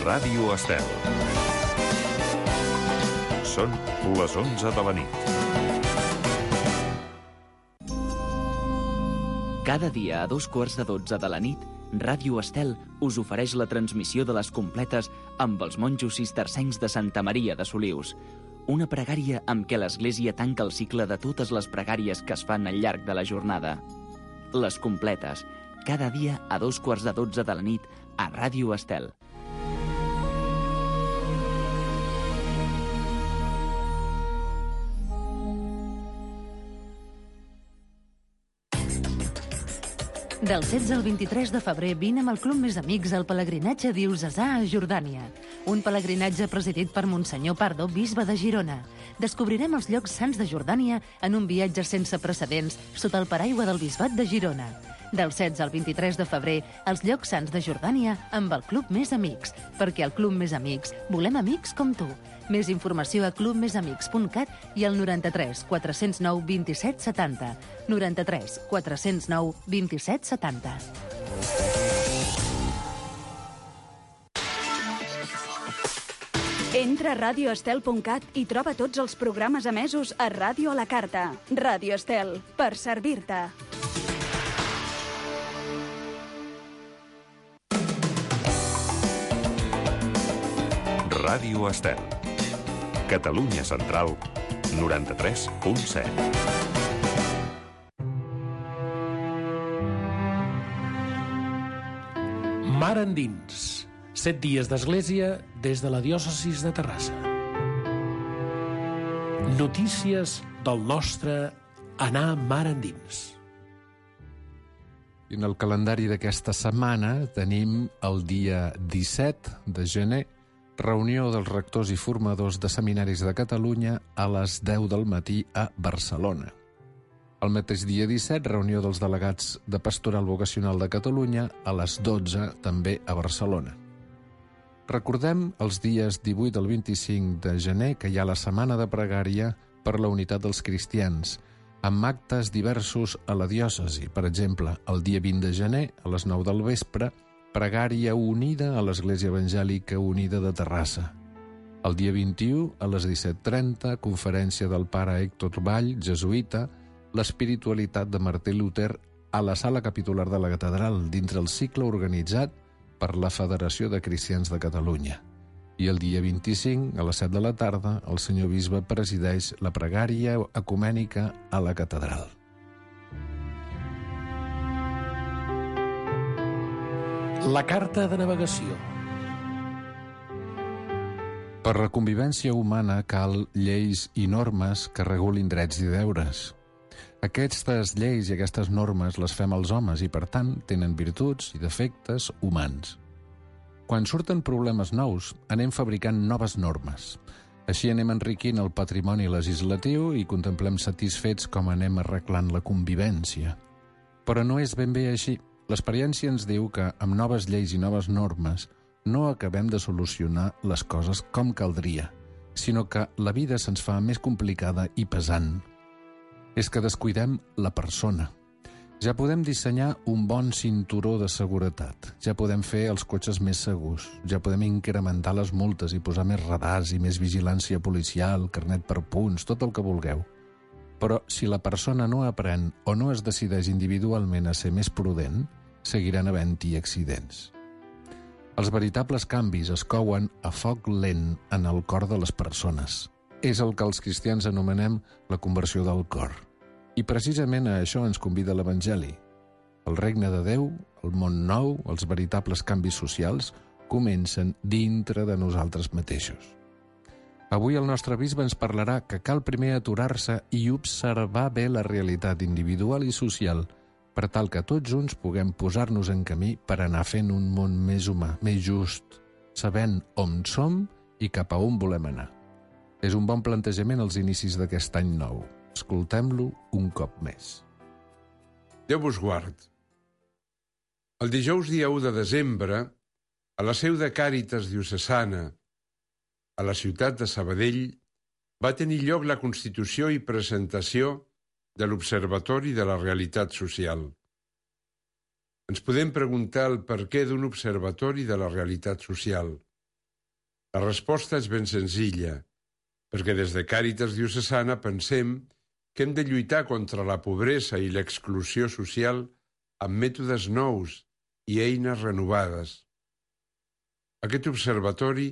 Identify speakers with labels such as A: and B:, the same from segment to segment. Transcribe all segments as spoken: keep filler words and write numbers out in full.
A: Ràdio Estel. Són les onze de la nit.
B: Cada dia a dos quarts de dotze de la nit, Ràdio Estel us ofereix la transmissió de les completes amb els monjos cistercencs de Santa Maria de Solius. Una pregària amb què l'Església tanca el cicle de totes les pregàries que es fan al llarg de la jornada. Les completes, cada dia a dos quarts de dotze de la nit a Ràdio Estel.
C: Del setze al vint-i-tres de febrer vine amb el Club Més Amics al pelegrinatge diocesà a Jordània. Un pelegrinatge presidit per Monsenyor Pardo, bisbe de Girona. Descobrirem els llocs sants de Jordània en un viatge sense precedents sota el paraigua del bisbat de Girona. Del setze al vint-i-tres de febrer, els llocs sants de Jordània amb el Club Més Amics, perquè al Club Més Amics volem amics com tu. Més informació a club més amics punt cat i al noranta-tres quatre-cents nou vint-i-set setanta. noranta-tres quatre-cents nou vint-i-set setanta.
D: Entra a ràdio estel punt cat i troba tots els programes emesos a Ràdio a la Carta. Ràdio Estel, per servir-te.
A: Ràdio Estel. Catalunya Central, noranta-tres punt set.
E: Mar endins. Set dies d'església des de la diòcesis de Terrassa. Notícies del nostre anar mar endins.
F: I en el calendari d'aquesta setmana tenim el dia disset de gener, reunió dels rectors i formadors de seminaris de Catalunya a les deu del matí a Barcelona. El mateix dia disset, reunió dels delegats de Pastoral Vocacional de Catalunya a les dotze, també a Barcelona. Recordem els dies divuit al vint-i-cinc de gener que hi ha la Setmana de Pregària per la Unitat dels Cristians, amb actes diversos a la diòcesi. Per exemple, el dia vint de gener, a les nou del vespre, Pregària unida a l'Església Evangèlica Unida de Terrassa. El dia vint-i-u, a les disset trenta, conferència del pare Héctor Vall, jesuïta, l'espiritualitat de Martí Luter a la sala capitular de la catedral, dintre el cicle organitzat per la Federació de Cristians de Catalunya. I el dia vint-i-cinc, a les set de la tarda, el senyor bisbe presideix la pregària ecumènica a la catedral.
E: La carta de navegació.
F: Per la convivència humana cal lleis i normes que regulin drets i deures. Aquestes lleis i aquestes normes les fem els homes i, per tant, tenen virtuts i defectes humans. Quan surten problemes nous, anem fabricant noves normes. Així anem enriquint el patrimoni legislatiu i contemplem satisfets com anem arreglant la convivència. Però no és ben bé així. L'experiència ens diu que, amb noves lleis i noves normes, no acabem de solucionar les coses com caldria, sinó que la vida se'ns fa més complicada i pesant. És que descuidem la persona. Ja podem dissenyar un bon cinturó de seguretat, ja podem fer els cotxes més segurs, ja podem incrementar les multes i posar més radars i més vigilància policial, carnet per punts, tot el que vulgueu. Però si la persona no aprèn o no es decideix individualment a ser més prudent, seguiran havent-hi accidents. Els veritables canvis es couen a foc lent en el cor de les persones. És el que els cristians anomenem la conversió del cor. I precisament a això ens convida l'Evangeli. El regne de Déu, el món nou, els veritables canvis socials comencen dintre de nosaltres mateixos. Avui el nostre bisbe ens parlarà que cal primer aturar-se i observar bé la realitat individual i social per tal que tots junts puguem posar-nos en camí per anar fent un món més humà, més just, sabent on som i cap a on volem anar. És un bon plantejament als inicis d'aquest any nou. Escoltem-lo un cop més.
G: Déu vos guard. El dijous dia u de desembre, a la seu de Càritas diocesana, a la ciutat de Sabadell, va tenir lloc la constitució i presentació de l'Observatori de la Realitat Social. Ens podem preguntar el perquè d'un observatori de la realitat social. La resposta és ben senzilla, perquè des de Càritas Diocesana pensem que hem de lluitar contra la pobresa i l'exclusió social amb mètodes nous i eines renovades. Aquest observatori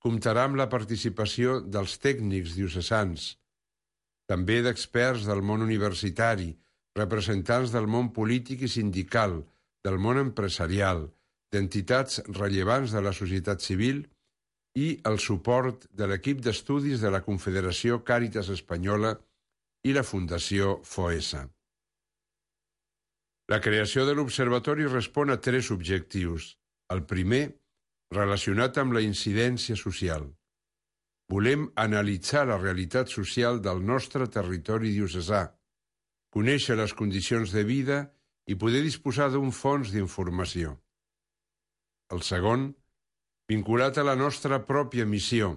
G: comptarà amb la participació dels tècnics diocesans, també d'experts del món universitari, representants del món polític i sindical, del món empresarial, d'entitats rellevants de la societat civil i el suport de l'equip d'estudis de la Confederació Càritas Espanyola i la Fundació Foessa. La creació de l'Observatori respon a tres objectius. El primer, relacionat amb la incidència social. Volem analitzar la realitat social del nostre territori diocesà, conèixer les condicions de vida i poder disposar d'un fons d'informació. El segon, vinculat a la nostra pròpia missió,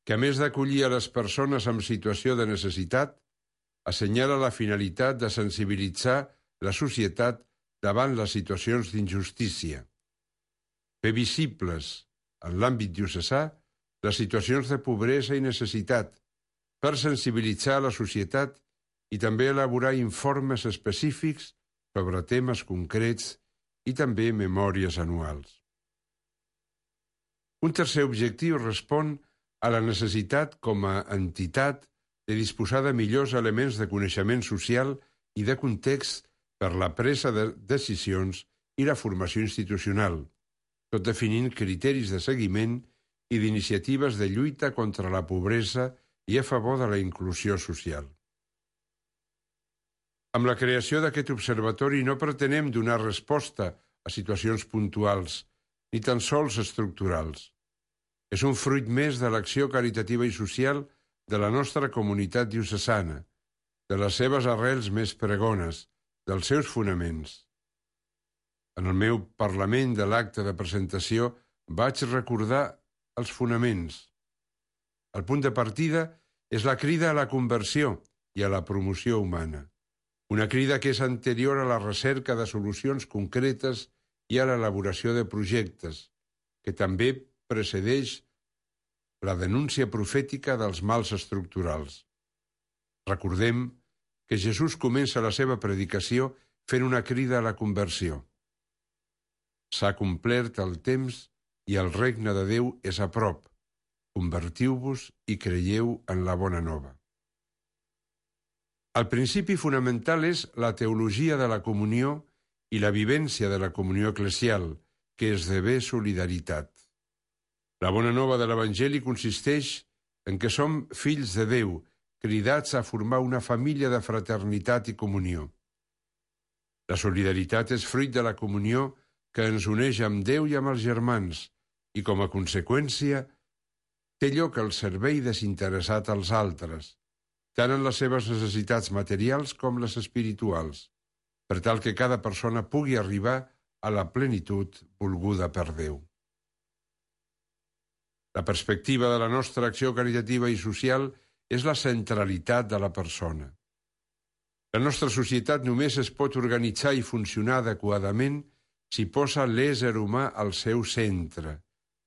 G: que a més d'acollir a les persones en situació de necessitat, assenyala la finalitat de sensibilitzar la societat davant les situacions d'injustícia. Fer visibles, en l'àmbit diocesà, les situacions de pobresa i necessitat, per sensibilitzar la societat i també elaborar informes específics sobre temes concrets i també memòries anuals. Un tercer objectiu respon a la necessitat com a entitat de disposar de millors elements de coneixement social i de context per la presa de decisions i la formació institucional, tot definint criteris de seguiment i d'iniciatives de lluita contra la pobresa i a favor de la inclusió social. Amb la creació d'aquest observatori no pretenem donar resposta a situacions puntuals, ni tan sols estructurals. És un fruit més de l'acció caritativa i social de la nostra comunitat diocesana, de les seves arrels més pregones, dels seus fonaments. En el meu parlament de l'acte de presentació vaig recordar els fonaments. El punt de partida és la crida a la conversió i a la promoció humana, una crida que és anterior a la recerca de solucions concretes i a l'elaboració de projectes, que també precedeix la denúncia profètica dels mals estructurals. Recordem que Jesús comença la seva predicació fent una crida a la conversió. S'ha complert el temps i el regne de Déu és a prop. Convertiu-vos i creieu en la bona nova. El principi fonamental és la teologia de la comunió i la vivència de la comunió eclesial, que esdevé solidaritat. La bona nova de l'Evangeli consisteix en que som fills de Déu, cridats a formar una família de fraternitat i comunió. La solidaritat és fruit de la comunió que ens uneix amb Déu i amb els germans, i com a conseqüència té lloc el servei desinteressat als altres, tant en les seves necessitats materials com les espirituals, per tal que cada persona pugui arribar a la plenitud volguda per Déu. La perspectiva de la nostra acció caritativa i social és la centralitat de la persona. La nostra societat només es pot organitzar i funcionar adequadament si posa l'ésser humà al seu centre,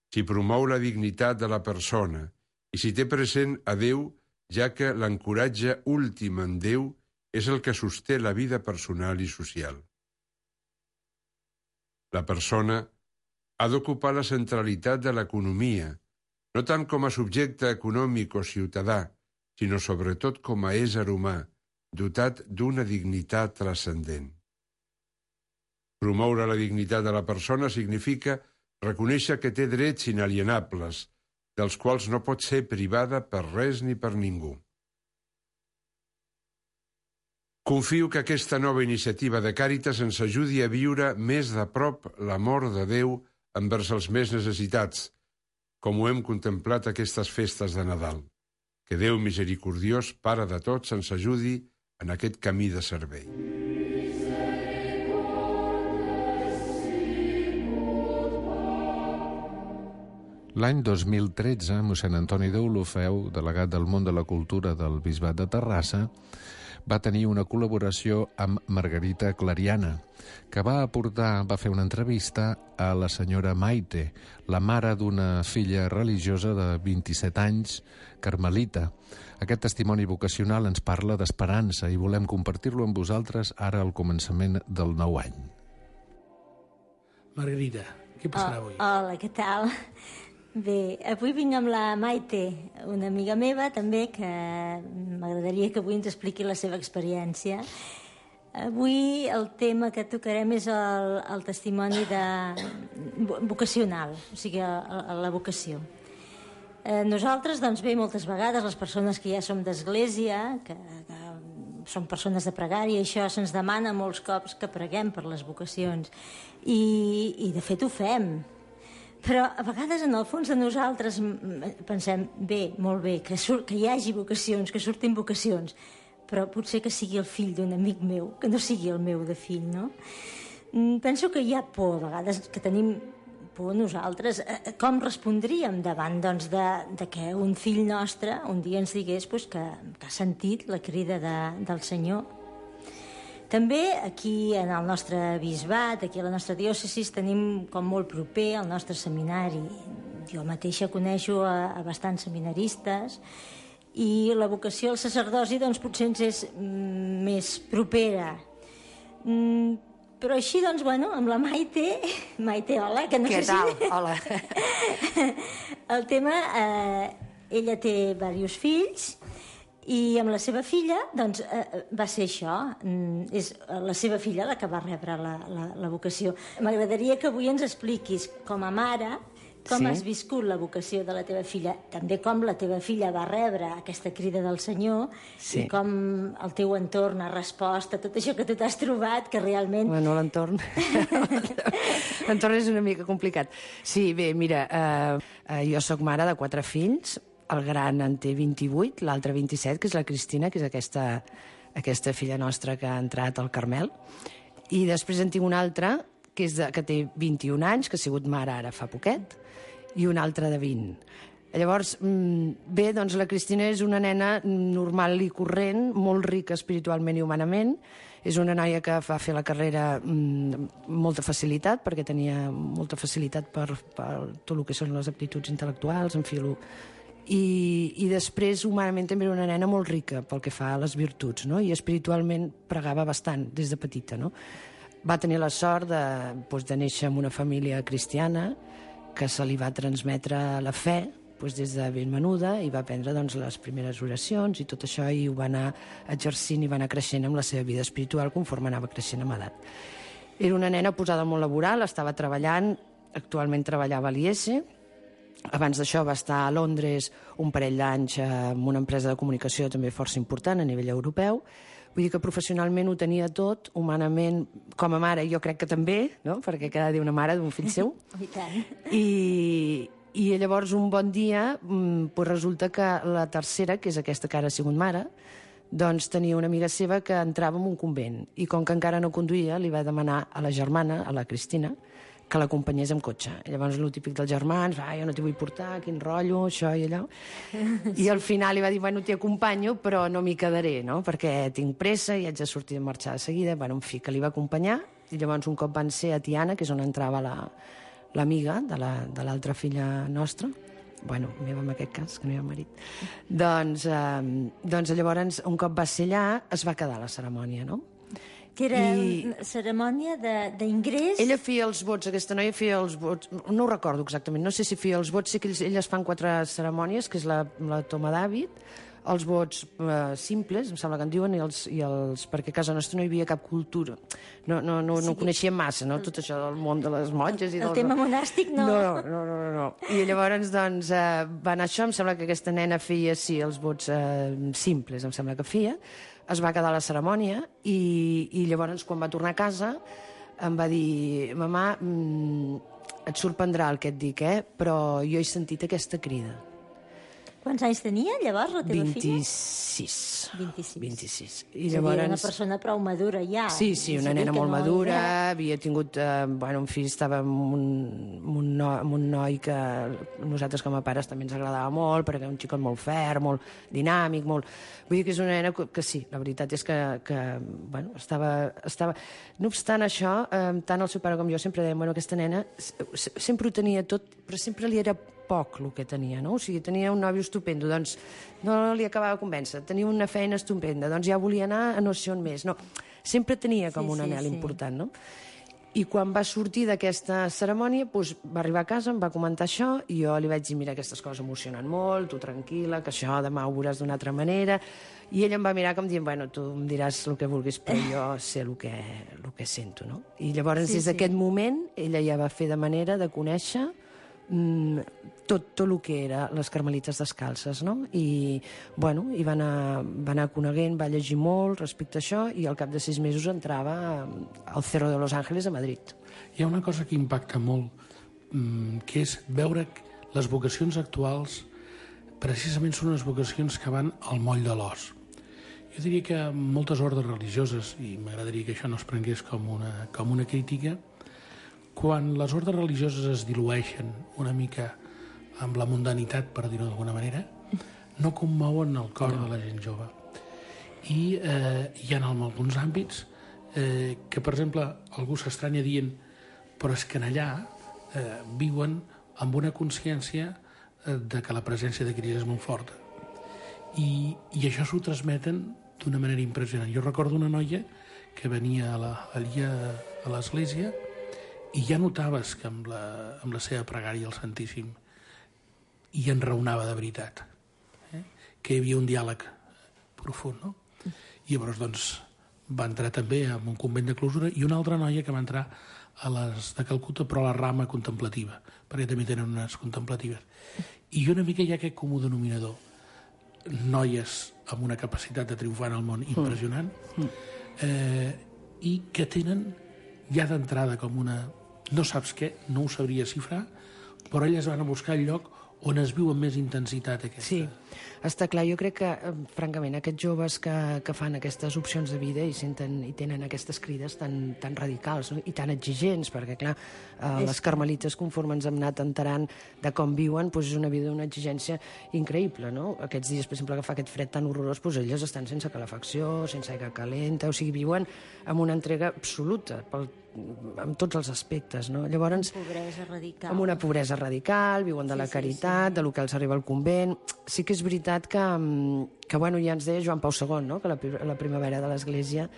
G: si promou la dignitat de la persona i si té present a Déu, ja que l'ancoratge últim en Déu és el que sosté la vida personal i social. La persona ha d'ocupar la centralitat de l'economia, no tant com a subjecte econòmic o ciutadà, sinó sobretot com a ésser humà, dotat d'una dignitat transcendent. Promoure la dignitat de la persona significa reconèixer que té drets inalienables, dels quals no pot ser privada per res ni per ningú. Confio que aquesta nova iniciativa de Càritas ens ajudi a viure més de prop l'amor de Déu envers els més necessitats, com ho hem contemplat aquestes festes de Nadal. Que Déu misericordiós, Pare de tots, ens ajudi en aquest camí de servei.
F: L'any dos mil tretze, mossèn Antoni Deulofeu, delegat del món de la cultura del Bisbat de Terrassa, va tenir una col·laboració amb Margarita Clariana, que va aportar, va fer una entrevista a la senyora Maite, la mare d'una filla religiosa de vint-i-set anys, carmelita. Aquest testimoni vocacional ens parla d'esperança i volem compartir-lo amb vosaltres ara al començament del nou any.
E: Margarita, què passarà avui?
H: Oh, hola, què tal? Bé, avui vinc amb la Maite, una amiga meva també, que m'agradaria que avui ens expliqui la seva experiència. Avui el tema que tocarem és el, el testimoni de, vocacional, o sigui, la, la vocació. Eh, nosaltres, doncs bé, moltes vegades, les persones que ja som d'església, que, que som persones de pregària, això se'ns demana molts cops que preguem per les vocacions. I, i de fet ho fem. Però a vegades en el fons de nosaltres pensem, bé, molt bé, que, sur que hi hagi vocacions, que surtin vocacions, però potser que sigui el fill d'un amic meu, que no sigui el meu de fill, no? Penso que hi ha por, a vegades, que tenim por nosaltres. Com respondríem davant, doncs, de, de que un fill nostre un dia ens digués pues, que, que ha sentit la crida de, del Senyor? També aquí en el nostre bisbat, aquí a la nostra diòcesis, tenim com molt proper el nostre seminari. Jo mateixa coneixo a, a bastants seminaristes i la vocació al sacerdoci doncs, potser ens és mm, més propera. Mm, però així, doncs, bueno, amb la Maite... Maite, hola, que no
I: Què
H: sé
I: tal?
H: si...
I: Hola.
H: El tema, eh, ella té diversos fills, i amb la seva filla, doncs, eh, va ser això. Mm, és la seva filla la que va rebre la, la, la vocació. M'agradaria que avui ens expliquis, com a mare, com
I: Sí.
H: has viscut la vocació de la teva filla, també com la teva filla va rebre aquesta crida del Senyor,
I: Sí.
H: i com el teu entorn ha respost a tot això que tu t'has trobat, que realment...
I: Bueno, l'entorn... l'entorn és una mica complicat. Sí, bé, mira, eh, eh, jo sóc mare de quatre fills, el gran en té vint-i-vuit, l'altre vint-i-set, que és la Cristina, que és aquesta, aquesta filla nostra que ha entrat al Carmel. I després en tinc una altra, que, és de, que té vint-i-un anys, que ha sigut mare ara fa poquet, i una altra de vint. Llavors, bé, doncs la Cristina és una nena normal i corrent, molt rica espiritualment i humanament. És una noia que va fer la carrera amb molta facilitat, perquè tenia molta facilitat per, per tot el que són les aptituds intel·lectuals, en fi, I, i després humanament també era una nena molt rica pel que fa a les virtuts, no? I espiritualment pregava bastant des de petita, no? Va tenir la sort de, doncs, de néixer en una família cristiana que se li va transmetre la fe doncs, des de ben menuda i va aprendre doncs, les primeres oracions i tot això, i ho va anar exercint i va anar creixent amb la seva vida espiritual conforme anava creixent amb edat. Era una nena posada al món laboral, estava treballant, actualment treballava a l'I S. Abans d'això va estar a Londres un parell d'anys en una empresa de comunicació també força important a nivell europeu. Vull dir que professionalment ho tenia tot, humanament, com a mare, jo crec que també, no? Perquè cada dia una mare d'un fill seu.
H: I tant.
I: I, i llavors un bon dia pues resulta que la tercera, que és aquesta que ara ha sigut mare, doncs tenia una amiga seva que entrava en un convent i com que encara no conduïa li va demanar a la germana, a la Cristina, que l'acompanyés amb cotxe. I llavors el típic dels germans, ah, jo no t'hi vull portar, quin rotllo, això i allò. I al final li va dir, bueno, t'hi acompanyo, però no m'hi quedaré, no? Perquè tinc pressa i haig de sortir de marxar de seguida. Bueno, en fi, que li va acompanyar, i llavors un cop van ser a Tiana, que és on entrava l'amiga la, de l'altra la, filla nostra, bueno, meva en aquest cas, que no hi ha marit, doncs, eh, doncs llavors un cop va ser allà es va quedar la cerimònia, no?
H: Que era
I: I...
H: una cerimònia d'ingrés...
I: Ella feia els vots, aquesta noia feia els vots, no ho recordo exactament, no sé si feia els vots, sé que ells, elles fan quatre cerimònies, que és la, la toma d'hàbit, els vots eh, simples, em sembla que en diuen, i els, i els, perquè a casa nostra no hi havia cap cultura, no, no, no, no
H: Sí.
I: coneixíem massa, no? Tot això del món de les monges i
H: El
I: dels...
H: tema monàstic, no.
I: No, no, no, no, no. I llavors, doncs, eh, va anar això, em sembla que aquesta nena feia, sí, els vots eh, simples, em sembla que feia, es va quedar a la cerimònia i, i llavors, quan va tornar a casa, em va dir, mamà, mmm, et sorprendrà el que et dic, eh? Però jo he sentit aquesta crida.
H: Quants anys tenia llavors la teva filla?
I: vint-i-sis.
H: vint-i-sis.
I: vint-i-sis. I
H: És
I: llavors...
H: a dir, una persona prou madura ja.
I: Sí, sí, una nena molt madura, havia tingut, eh, bueno, en fi, estava amb un, amb, un no, amb un noi que a nosaltres com a pares també ens agradava molt, perquè era un xicot molt ferm, molt dinàmic, molt... Vull dir que és una nena que, que sí, la veritat és que, que bueno, estava, estava... No obstant això, eh, tant el seu pare com jo sempre dèiem, bueno, aquesta nena sempre ho tenia tot, però sempre li era poc el que tenia, no? O sigui, tenia un nòvio estupendo, doncs no li acabava de convèncer, tenia una feina estupenda, doncs ja volia anar a no sé on més, no. Sempre tenia com
H: Sí,
I: un
H: sí,
I: anhel
H: sí.
I: important, no? I quan va sortir d'aquesta cerimònia, doncs, va arribar a casa, em va comentar això, i jo li vaig dir, mira, aquestes coses emocionen molt, tu tranquil·la, que això demà ho veuràs d'una altra manera, i ell em va mirar com dient, bueno, tu em diràs el que vulguis, però jo sé el que, el que sento, no? I llavors,
H: Sí,
I: des d'aquest
H: sí.
I: moment, ella ja va fer de manera de conèixer mm, tot, tot el que era les Carmelites Descalces, no? I, bueno, i va anar, va anar coneguent, va llegir molt respecte a això, i al cap de sis mesos entrava al Cerro de Los Ángeles a Madrid.
E: Hi ha una cosa que impacta molt, mm, que és veure que les vocacions actuals precisament són unes vocacions que van al moll de l'os. Jo diria que moltes ordes religioses, i m'agradaria que això no es prengués com una, com una crítica, quan les ordes religioses es dilueixen una mica amb la mundanitat, per dir-ho d'alguna manera, no commouen el cor de la gent jove. I eh, hi ha en alguns àmbits eh, que, per exemple, algú s'estranya dient però és que en allà eh, viuen amb una consciència eh, de que la presència de Crist és molt forta. I, i això s'ho transmeten d'una manera impressionant. Jo recordo una noia que venia a la, allà a l'església i ja notaves que amb la, amb la seva pregària al Santíssim i enraonava de veritat, eh? Que hi havia un diàleg profund, no? I llavors, doncs, va entrar també en un convent de clausura, i una altra noia que va entrar a les de Calcuta, però a la rama contemplativa, perquè també tenen unes contemplatives. I una mica hi ha aquest comú denominador. Noies amb una capacitat de triomfar en el món impressionant, eh, i que tenen ja d'entrada com una... No saps què, no ho sabria xifrar, però elles van a buscar el lloc on es viu amb més intensitat aquesta.
I: Sí, està clar. Jo crec que, eh, francament, aquests joves que, que fan aquestes opcions de vida i senten i tenen aquestes crides tan, tan radicals, no? I tan exigents, perquè, clar, eh, les carmelites, conforme ens hem anat enterant de com viuen, doncs és una vida d'una exigència increïble, no? Aquests dies, per exemple, que fa aquest fred tan horrorós, doncs elles estan sense calefacció, sense aigua calenta, o sigui, viuen amb una entrega absoluta pel amb tots els aspectes, no? Llavors,
H: Pobresa radical.
I: amb una pobresa radical, viuen de la
H: Sí, sí,
I: caritat, de lo que els arriba al convent. Sí que és veritat que, que bueno, ja ens deia Joan Pau segon, no? Que la, la primavera de l'Església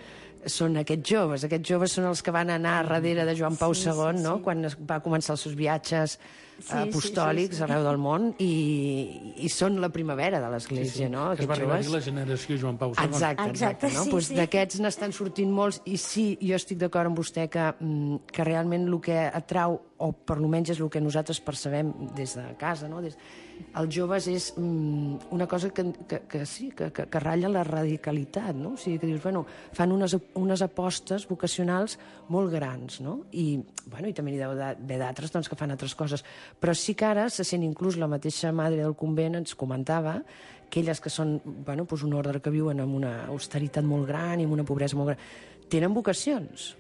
I: són aquests joves. Aquests joves són els que van anar darrere de Joan Pau
H: Sí,
I: segon,
H: sí,
I: no?
H: sí.
I: Quan es va començar els seus viatges
H: Sí,
I: apostòlics
H: sí, sí, sí.
I: arreu del món, i, i són la primavera de l'Església, no?
E: Que es va arribar a dir la generació Joan Pau segon.
I: Exacte, exacte.
H: Exacte,
I: No?
H: sí,
I: Pues
H: sí.
I: d'aquests n'estan sortint molts, i sí, jo estic d'acord amb vostè que, mm, que realment el que atrau, o per almenys és el que nosaltres percebem des de casa, no? Des... els joves és mm, una cosa que, que, que sí, que, que, que ratlla la radicalitat, no? O sigui, que dius, bueno, fan unes, unes apostes vocacionals molt grans, no? I, bueno, i també n'hi deu haver d'altres, doncs, que fan altres coses. Però sí que ara se sent inclús la mateixa madre del convent ens comentava que elles que són, bueno, doncs un ordre que viuen amb una austeritat molt gran i amb una pobresa molt gran, tenen vocacions.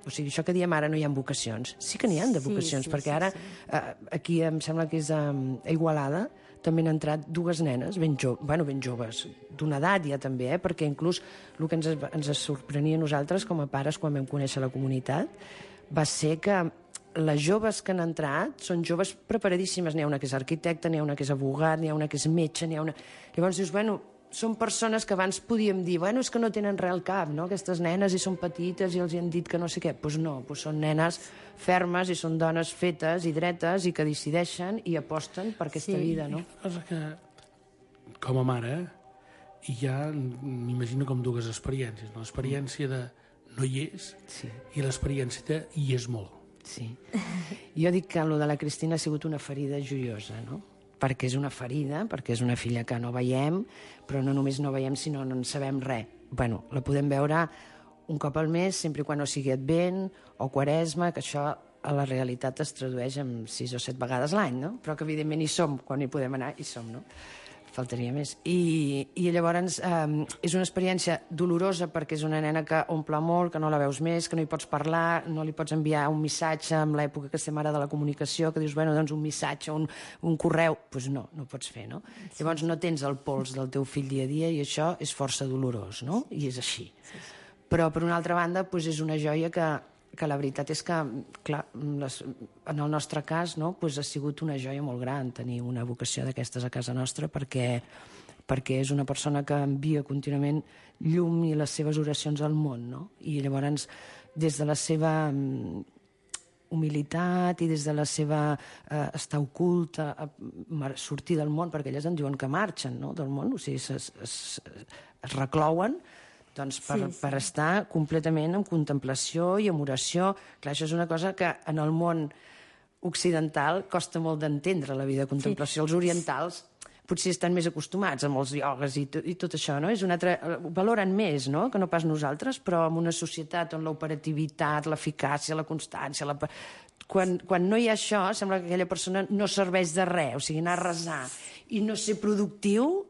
I: O sigui, això que diem ara no hi ha vocacions. Sí que n'hi ha de
H: Sí,
I: vocacions,
H: sí,
I: perquè
H: sí,
I: ara
H: sí.
I: eh, aquí em sembla que és a, a Igualada també han entrat dues nenes ben, jo, bueno, ben joves, d'una edat ja també, eh, perquè inclús el que ens, ens sorprenia a nosaltres com a pares quan vam conèixer la comunitat va ser que les joves que han entrat són joves preparadíssimes. N'hi ha una que és arquitecta, n'hi ha una que és abogat, n'hi ha una que és metge, n'hi ha una... Llavors dius, bueno, són persones que abans podíem dir, bueno, és que no tenen res al cap, no? Aquestes nenes i són petites i els hi han dit que no sé què. Doncs pues no, pues són nenes fermes i són dones fetes i dretes i que decideixen i aposten per aquesta
H: Sí.
I: vida, no?
E: Una cosa que, com a mare, ja m'imagino com dues experiències. No? L'experiència de no hi és
I: Sí.
E: i l'experiència de hi és molt.
I: Sí. Jo dic que el de la Cristina ha sigut una ferida joiosa, no? Perquè és una ferida, perquè és una filla que no veiem, però no només no veiem, sinó no en sabem res. Bueno, la podem veure un cop al mes, sempre i quan no sigui Advent o Quaresma, que això a la realitat es tradueix en sis o set vegades l'any, no? Però que evidentment hi som, quan hi podem anar, hi som, no? faltaria més. I, i llavors eh, és una experiència dolorosa perquè és una nena que omple molt, que no la veus més, que no hi pots parlar, no li pots enviar un missatge en l'època que estem ara de la comunicació, que dius, bueno, doncs un missatge, un, un correu, doncs pues no, no pots fer, no? Sí. Llavors no tens el pols del teu fill dia a dia i això és força dolorós, no? I és així. Sí, sí. Però, per una altra banda, pues, és una joia que, que la veritat és que, clar, les, en el nostre cas, no, pues, ha sigut una joia molt gran tenir una vocació d'aquestes a casa nostra perquè, perquè és una persona que envia contínuament llum i les seves oracions al món, no? I llavors, des de la seva humilitat i des de la seva eh, estar oculta, a sortir del món, perquè elles en diuen que marxen, no?, del món, o sigui, es, es, es reclouen, doncs per, sí, sí. per estar completament en contemplació i en oració. Clar, això és una cosa que en el món occidental costa molt d'entendre, la vida de contemplació. Sí. Els orientals potser estan més acostumats amb els iogues i, i tot això, no? És una altra, valoren més, no?, que no pas nosaltres, però en una societat on l'operativitat, l'eficàcia, la constància... La... Quan, quan no hi ha això, sembla que aquella persona no serveix de res, o sigui, anar a resar i no ser productiu,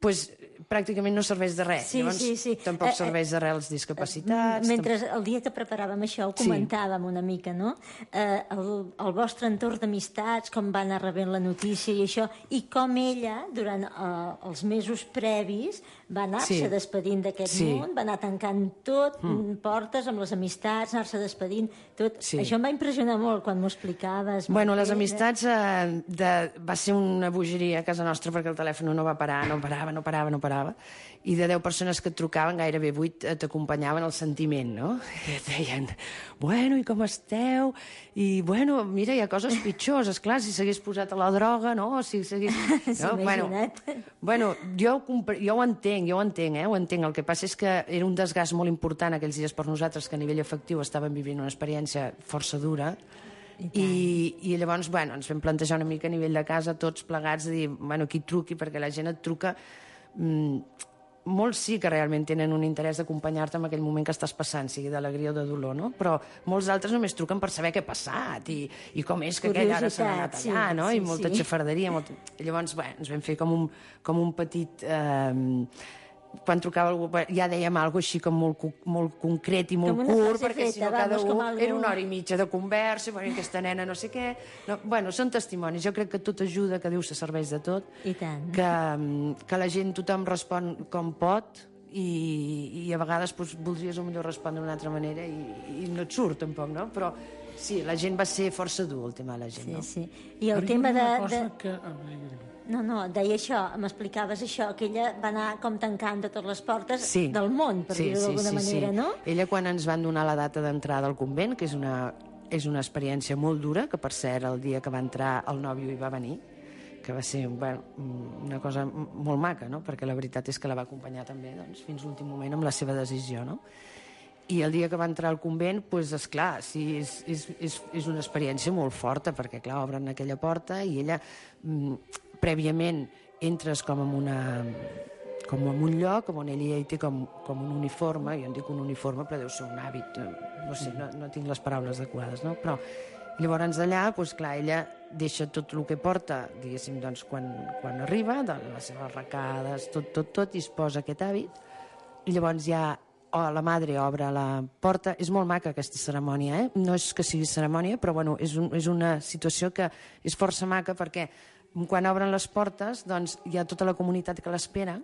I: doncs pràcticament no serveix de res.
H: Sí,
I: Llavors,
H: sí, sí.
I: tampoc eh, serveix de res als discapacitats.
H: Mentre el dia que preparàvem això ho comentàvem sí. una mica, no? Eh, el, el vostre entorn d'amistats, com va anar rebent la notícia i això, i com ella, durant eh, els mesos previs, va anar-se sí. despedint d'aquest sí. món, va anar tancant tot, mm. portes amb les amistats, anar-se despedint, tot. Sí. Això em va impressionar molt quan m'ho explicaves.
I: Bueno, les amistats eh, de... va ser una bogeria a casa nostra perquè el telèfon no va parar, no parava, no parava, no parava, i de deu persones que et trucaven, gairebé vuit t'acompanyaven el sentiment, no? I et deien, bueno, i com esteu? I, bueno, mira, hi ha coses pitjors, esclar, si s'hagués posat a la droga, no? Si s'hagués... No? Bueno, bueno jo, jo ho entenc, jo ho entenc, eh? Ho entenc. El que passa és que era un desgast molt important aquells dies per nosaltres, que a nivell afectiu estàvem vivint una experiència força dura, I, I, i llavors, bueno, ens vam plantejar una mica a nivell de casa, tots plegats, de dir, bueno, qui truqui, perquè la gent et truca... Mm, molts sí que realment tenen un interès d'acompanyar-te en aquell moment que estàs passant, sigui d'alegria o de dolor, no? Però molts altres només truquen per saber què ha passat i, i com és que aquell ara s'ha anat allà, sí, no? Sí, I molta sí. xafarderia. Molt... Llavors, bé, ens vam fer com un, com un petit... Eh, quan trucava algú ja dèiem alguna cosa així com molt, molt concret i molt curt, perquè si no cada un algo... era una hora i mitja de conversa, bueno, aquesta nena no sé què... No, bueno, són testimonis, jo crec que tot ajuda, que Déu se serveix de tot,
H: I tant.
I: Que, que la gent, tothom respon com pot i, i a vegades doncs, voldries millor respondre d'una altra manera i, i no et surt tampoc, no? Però sí, la gent va ser força dur, el tema de la gent,
H: sí,
I: no?
H: Sí. I el tema de... de...
E: Que...
H: No, no, deia això, m'explicaves això, que ella va anar com tancant de totes les portes
I: sí.
H: del món, per
I: sí,
H: dir-ho
I: sí,
H: d'alguna
I: sí,
H: manera,
I: sí.
H: no?
I: Ella, quan ens van donar la data d'entrada al convent, que és una, és una experiència molt dura, que per cert, el dia que va entrar el nòvio hi va venir, que va ser bueno, una cosa molt maca, no? Perquè la veritat és que la va acompanyar també doncs, fins l'últim moment amb la seva decisió, no? I el dia que va entrar al convent, doncs, esclar, sí, és, és, és, és una experiència molt forta, perquè, clar, obren aquella porta i ella, mm, prèviament, entres com en una com en un lloc on ella hi té com, com un uniforme, jo en dic un uniforme però deu ser un hàbit, no sé, no, no tinc les paraules adequades, no? Però llavors allà, doncs clar, ella deixa tot el que porta, diguéssim, doncs quan, quan arriba, de les seves arracades, tot, tot, tot, i es posa aquest hàbit, i llavors ja oh, la madre obre la porta. És molt maca aquesta cerimònia, eh? No és que sigui cerimònia, però bueno, és, un, és una situació que és força maca perquè quan obren les portes doncs, hi ha tota la comunitat que l'espera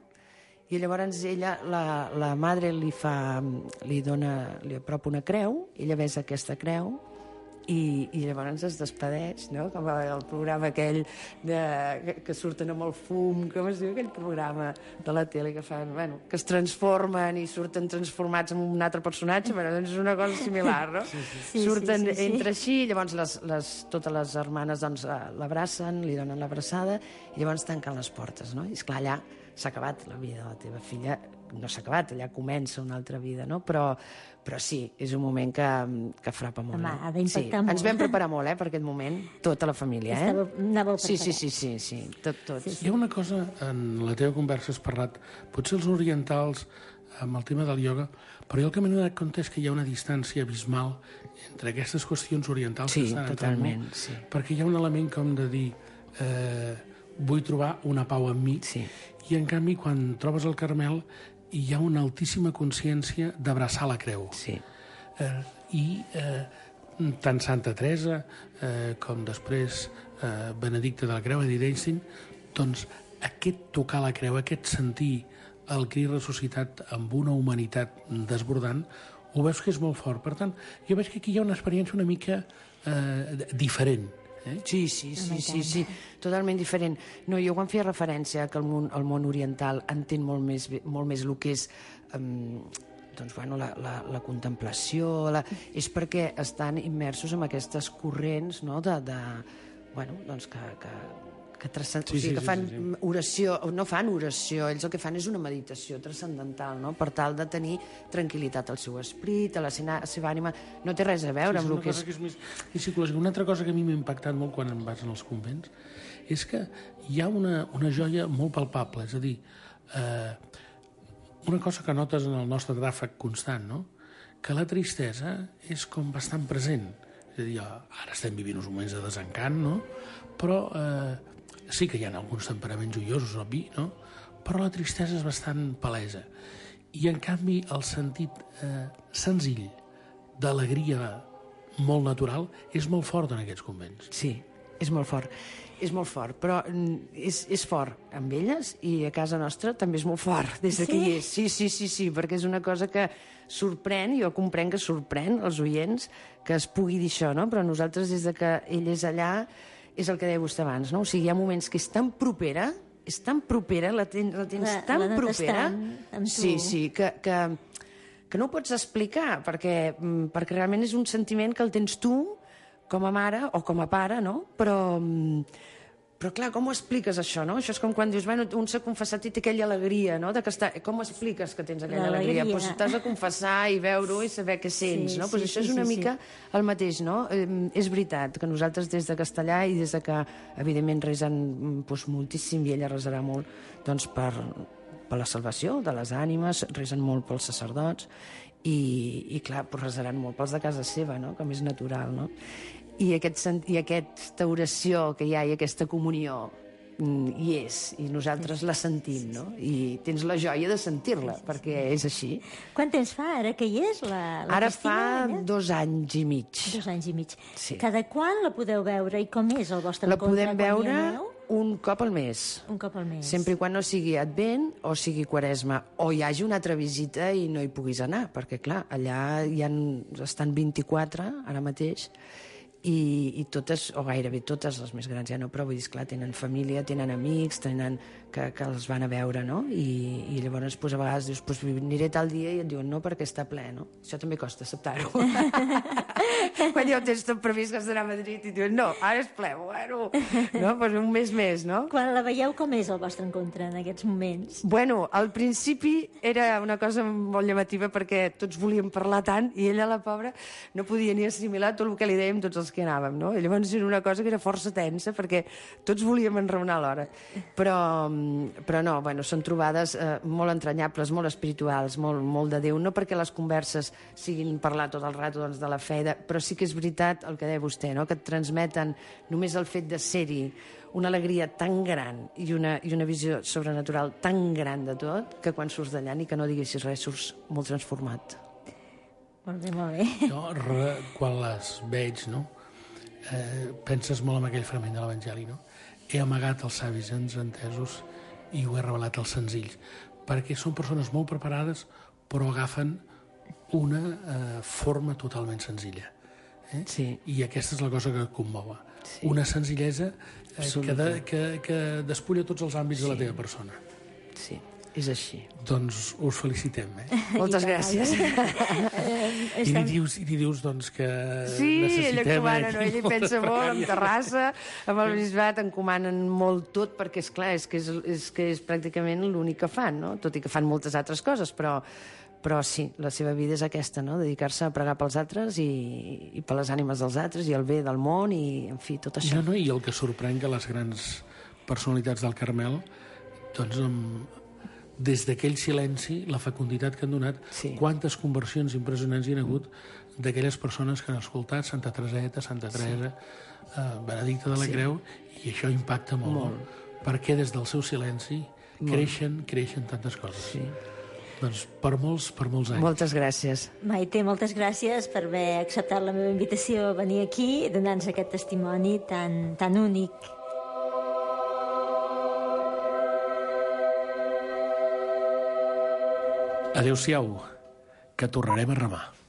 I: i llavors ella, la, la madre li fa, li dona, li apropa una creu, ella besa aquesta creu i, i llavors es despedeix, no? Com el programa aquell de, que, que surten amb el fum, com es diu aquell programa de la tele que fan, bueno, que es transformen i surten transformats en un altre personatge, bueno, doncs és una cosa similar, no? Sí, sí. Sí, surten sí, sí, sí. Entre així, llavors les, les, totes les germanes doncs, l'abracen, li donen l'abraçada i llavors tanquen les portes, no? I esclar, allà s'ha acabat la vida de la teva filla, no s'ha acabat, allà comença una altra vida, no? Però, però sí, és un moment que, que frapa molt.
H: Home,
I: eh?
H: ha d'impactar
I: sí.
H: molt.
I: Ens vam preparar molt, eh, per aquest moment, tota la família, eh?
H: Estava, anàveu
I: sí, sí, sí, sí, sí, tot, tot.
E: Sí, sí. Hi ha una cosa, en la teva conversa has parlat, potser els orientals, amb el tema del ioga, però jo el que m'he donat compte és que hi ha una distància abismal entre aquestes qüestions orientals
I: sí,
E: que estan
I: totalment,
E: entrant molt,
I: sí.
E: perquè hi ha un element com de dir... Eh, vull trobar una pau en mi.
I: Sí.
E: I, en canvi, quan trobes el Carmel, hi ha una altíssima consciència d'abraçar la creu.
I: Sí.
E: Eh, I eh, tant Santa Teresa eh, com després eh, Benedicte de la Creu, Edith Einstein, doncs aquest tocar la creu, aquest sentir el Crist ressuscitat amb una humanitat desbordant, ho veus que és molt fort. Per tant, jo veig que aquí hi ha una experiència una mica eh, diferent. Eh?
I: Sí, sí, sí, sí, sí, totalment diferent. No, jo quan feia referència que el món, el món oriental entén molt més, molt més el que és um, doncs, bueno, la, la, la contemplació, la... és perquè estan immersos en aquestes corrents, no?, de, de, bueno, doncs que, que, que, transcend...
E: sí,
I: o sigui,
E: sí,
I: que fan
E: sí, sí.
I: oració, no fan oració, ells el que fan és una meditació transcendental, no?, per tal de tenir tranquil·litat al seu esperit, a la seva, a la seva ànima. No té res a veure
E: sí,
I: amb el que és...
E: que és més psicològica. Una altra cosa que a mi m'ha impactat molt quan em vaig als convents és que hi ha una, una joia molt palpable, és a dir, eh, una cosa que notes en el nostre tràfic constant, no?, que la tristesa és com bastant present. És a dir, ara estem vivint uns moments de desencant, no?, però eh, sí que hi ha alguns temperaments joiosos, obvi, no?, però la tristesa és bastant palesa. I, en canvi, el sentit eh, senzill d'alegria molt natural és molt fort en aquests convents.
I: Sí, és molt fort. És molt fort, però és, és fort amb elles i a casa nostra també és molt fort des de sí? que hi és. Sí, sí, sí, sí, perquè és una cosa que sorprèn, jo comprenc que sorprèn els oients que es pugui dir això, no? Però nosaltres des de que ell és allà és el que deia vostè abans, no? O sigui, hi ha moments que és tan propera, és tan propera, la, ten, la tens la, tan la propera,
H: amb tu.
I: Sí, sí, que, que, que no ho pots explicar, perquè, perquè realment és un sentiment que el tens tu com a mare o com a pare, no? Però, però clar, com ho expliques això, no? Això és com quan dius, bueno, un s'ha confessat i té aquella alegria, no? De que està... Com expliques que tens aquella alegria? Doncs pues t'has de confessar i veure-ho i saber què sents,
H: sí,
I: no? Pues
H: sí,
I: això
H: sí,
I: és una
H: sí,
I: mica
H: sí.
I: el mateix, no? Eh, és veritat que nosaltres des de Castellà i des de que, evidentment, resen pues, moltíssim i ella resarà molt, doncs per, per la salvació de les ànimes, resen molt pels sacerdots i, i clar, pues, resaran molt pels de casa seva, no? Com és natural, no? I, aquest, i aquesta oració que hi ha i aquesta comunió hi és, i nosaltres la sentim, no? I tens la joia de sentir-la, perquè és així.
H: Quant temps fa ara que hi és la, la
I: Ara
H: Cristina?
I: fa
H: Allà?
I: dos anys i mig.
H: Dos anys i mig.
I: Sí.
H: Cada quan la podeu veure i com és el vostre
I: La
H: encontre
I: podem
H: quan hi
I: veure
H: aneu?
I: un cop al mes.
H: Un cop al mes.
I: Sempre i quan no sigui Advent o sigui Quaresma, o hi hagi una altra visita i no hi puguis anar, perquè, clar, allà hi han, estan vint-i-quatre, ara mateix, i, i totes, o gairebé totes, les més grans ja no, però vull dir, esclar, tenen família, tenen amics, tenen, que, que els van a veure, no? I, i llavors, pues, a vegades dius, pues, aniré tal dia, i et diuen no, perquè està ple, no? Això també costa acceptar-ho. Quan ja ho tens tot previst que has d'anar a Madrid i diuen, no, ara és ple, bueno, no? Pues un mes més, no?
H: Quan la veieu, com és el vostre encontre en aquests moments?
I: Bueno, al principi era una cosa molt llamativa perquè tots volíem parlar tant i ella, la pobra, no podia ni assimilar tot el que li dèiem tots els que anàvem, no? I llavors era una cosa que era força tensa perquè tots volíem enraonar alhora. Però, però no, bueno, són trobades eh, molt entranyables, molt espirituals, molt, molt de Déu, no perquè les converses siguin parlar tot el rato doncs, de la fe, de... però sí que és veritat el que deia vostè, no? Que et transmeten només el fet de ser-hi una alegria tan gran i una, i una visió sobrenatural tan gran de tot que quan surts d'allà ni que no diguessis res surts molt transformat.
H: Molt bé, molt bé.
E: Jo, re, quan les veig, no? Eh, penses molt en aquell fragment de l'Evangeli, no? He amagat els savis ens entesos i ho he revelat als senzills, perquè són persones molt preparades però agafen una eh, forma totalment senzilla. Eh?
I: Sí.
E: I aquesta és la cosa que commova.
I: Sí.
E: Una senzillesa eh, que, de, que, que despulla tots els àmbits
I: sí.
E: de la teva persona.
I: Sí, és així.
E: Doncs us felicitem, eh?
I: Moltes gràcies.
E: I li dius, i li dius doncs, que
I: sí, ella
E: necessitem...
I: encomana, no? Ella hi pensa molt, en Terrassa, amb el bisbat, encomanen molt tot, perquè, és clar, és que és, és, que és pràcticament l'únic que fan, no? Tot i que fan moltes altres coses, però, però sí, la seva vida és aquesta, no? Dedicar-se a pregar pels altres i, i per les ànimes dels altres i el bé del món i, en fi, tot això.
E: No, no, i el que sorprèn que les grans personalitats del Carmel, doncs, amb, des d'aquell silenci, la fecunditat que han donat, sí. Quantes conversions impressionants hi ha hagut d'aquelles persones que han escoltat Santa Tereseta, Santa Teresa, sí. eh, Benedicte de la sí. Creu, i això impacta molt. molt. perquè des del seu silenci creixen, creixen tantes coses.
I: Sí.
E: Doncs per molts, per molts anys.
I: Moltes gràcies.
H: Maite, moltes gràcies per haver acceptat la meva invitació a venir aquí i donar-nos aquest testimoni tan, tan únic.
E: Adéu-siau, que tornarem a remar.